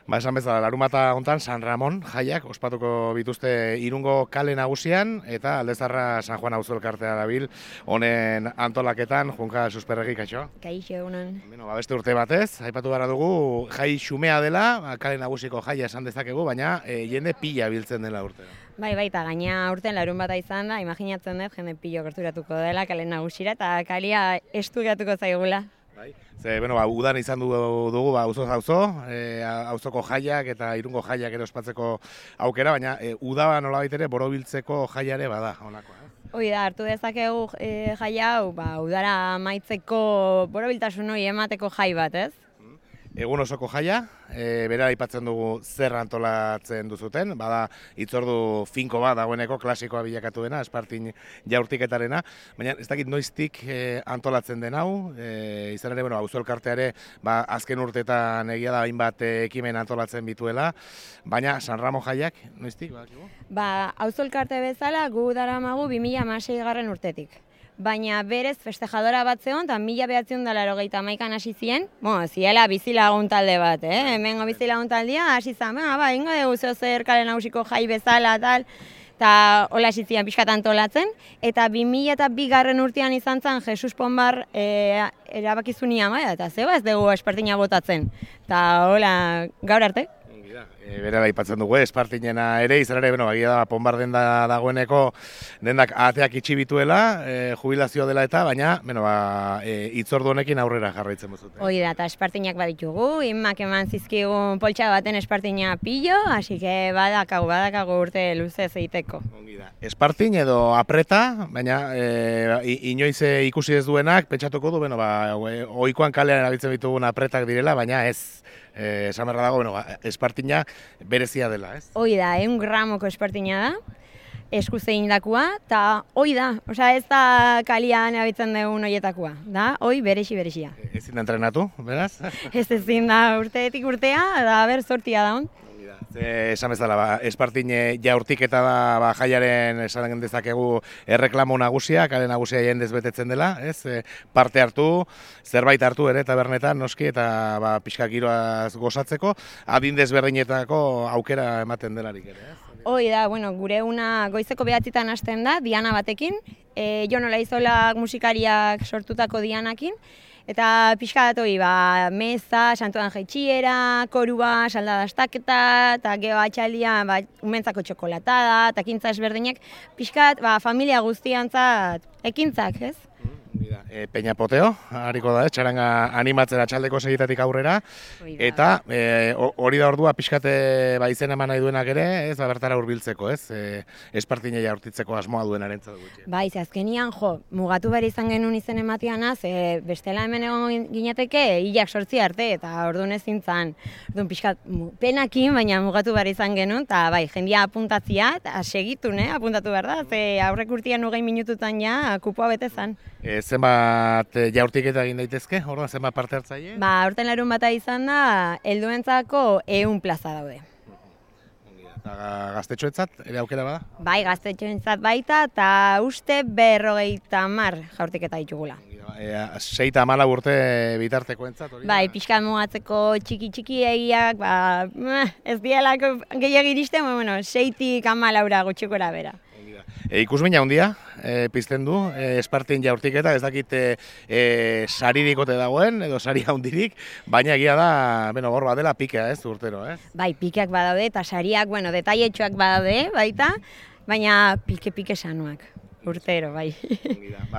Esan bezala, larunbata hontan San Ramon jaiak ospatuko bituzte Irungo kale nagusian eta Aldezarra San Juan auzo elkartea dabil honen antolaketan. Junka Susperregi, kaixo? Kaixo, egunon. Beste urte batez, aipatu gara dugu, jai xumea dela, kale nagusiko jaia esan dezakegu, baina jende pila biltzen dela urtero. Bai, eta gaina urten larunbata izan da, imaginatzen dut jende pilo gerturatuko dela kale nagusira eta kalia estu geratuko zaigula. Bai. Udan izan dugu auzoz auzo, auzoko jaiak eta Irungo jaiak ere ospatzeko aukera, baina uda nolabait ere borobiltzeko jaiare bada honakoa. Hoi da, hartu dezakegu jai hau, udara amaitzeko borobiltasun hori emateko jai bat, ez? Egun osoko jaia, bera aipatzen dugu zer antolatzen duzuten, bada hitzordu finko bat dagoeneko klasikoa bilakatu dena, Espartin jaurtiketarena, baina ez dakit noiztik antolatzen den hau, izan ere, auzo elkarteare azken urteetan egia da hainbat ekimen antolatzen bituela, baina San Ramon jaiak noiztik? Auzo elkarte bezala gu daramagu 2016 urtetik. Baina berez festejadora bat zegoen, eta 1981an hasi ziren, ziela bizilagun talde bat, hemengo bizilagun taldea hasi zen, ingo dugu zer kale nagusiko jai bezala, tal, eta hola hasi ziren pixkat antolatzen, eta 2002 urtean izan zen Jesus Ponbar erabakizunia, eta zeba ez dugu Espartina botatzen, eta hola gaur arte. Bera aipatzen dugu, Espartinena ere, izan ere, bagia da, Ponbar denda dagoeneko dendak ateak itxi bituela, jubilazioa dela eta, baina, hitzordu honekin aurrera jarraitzen bozute. Hoi da, eta Espartinak baditugu, inmak eman zizkigun poltsa baten Espartina pillo, hasi que badakagu urte luzez egiteko. Espartin edo apreta, baina inoiz ikusi ez duenak, pentsatuko du, ohikoan kalean erabiltzen ditugun apretak direla, baina ez, esan berra dago, Espartina berezia dela, ez? Hoi da, 100 gramoko Espartina da, eskuz egindakoa, eta hoi da, ez da kalian erabiltzen dugun horietakoa, da, hoi berezia. Ezin da entrenatu, beraz? Ezin da urteetik urtea, da ber sortia da hon. Esan bezala, Espartin jaurtiketa da jaiaren esan dezakegu erreklamo nagusia, kale nagusia jendez betetzen dela, ez? Parte hartu, zerbait hartu ere tabernetan noski eta pixka giroaz gozatzeko, adin desberdinetako aukera ematen delarik ere, ez? Hoi da, gure una goizeko 9:00 hasten da, diana batekin, Jon Olaizola musikariak sortutako dianakin, eta pixka bat meza, santuan jaitxiera, korua, salda dastaketa, eta geho atxaldia umentzako txokolatada, eta ekintza ezberdinak, pixka bat familia guztiantzat ekintzak, ez? Peña Poteo, hariko da, txaranga animatzen atxaldeko segitatik aurrera, eta hori da ordua pixkate izena eman nahi duenak ere, ez bertara hurbiltzeko, ez? Espartina jaurtitzeko asmoa duenaren zatu gutxi. Azkenian, mugatu behar izan genuen izen emateanaz, bestela hemen egon ginateke, hilak 8 arte, eta orduan ezin zan. Orduan pixkat penakin, baina mugatu behar izan genuen, eta jendia apuntatzia, eta segitu, apuntatu behar da, aurrek urtean 20 minututan ja, kupoa bete zan. Zenbat jaurtiketa egin daitezke, orduan zenbat parte hartzaile? Urten larunbata izan da, helduentzako 100 plaza daude. Eta gaztetxoentzat ere aukera bada? Bai, gaztetxoentzat baita, eta uste 50 jaurtiketa ditugula. 6-14 urte bitartekoentzat hori? Bai, pixkat mugatzeko txiki egiak, ez dialako gehiago iristen, 6-tik 14 gutxikora bera. Ikusmina handia pizten du, Espartin jaurtiketa, ez dakit saririk ote dagoen, edo sari handirik, baina egia da, hor badela pikea, ez, urtero, ez? Bai, pikeak badaude, eta sariak, detailetxoak badaude, baita, baina pike sanuak, urtero, bai.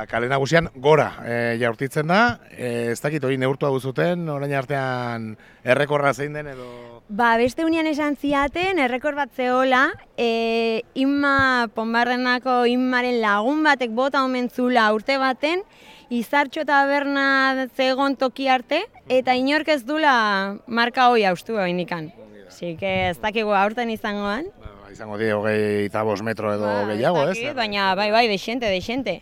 Kale nagusian gora jaurtitzen da, ez dakit hori neurtua duzuten, orain artean errekorra zein den edo... Beste unian esan ziaten, errekor bat zehola, Inma Ponbardenako Inmaren lagun batek bota omen zula urte baten, Izartxo taberna zegoen toki arte, eta inork ez dula marka hoi haustu indikan. Así que ez dakigu aurten izangoan. Izango die 25 metro edo gehiago, ez? Baina bai, de xente.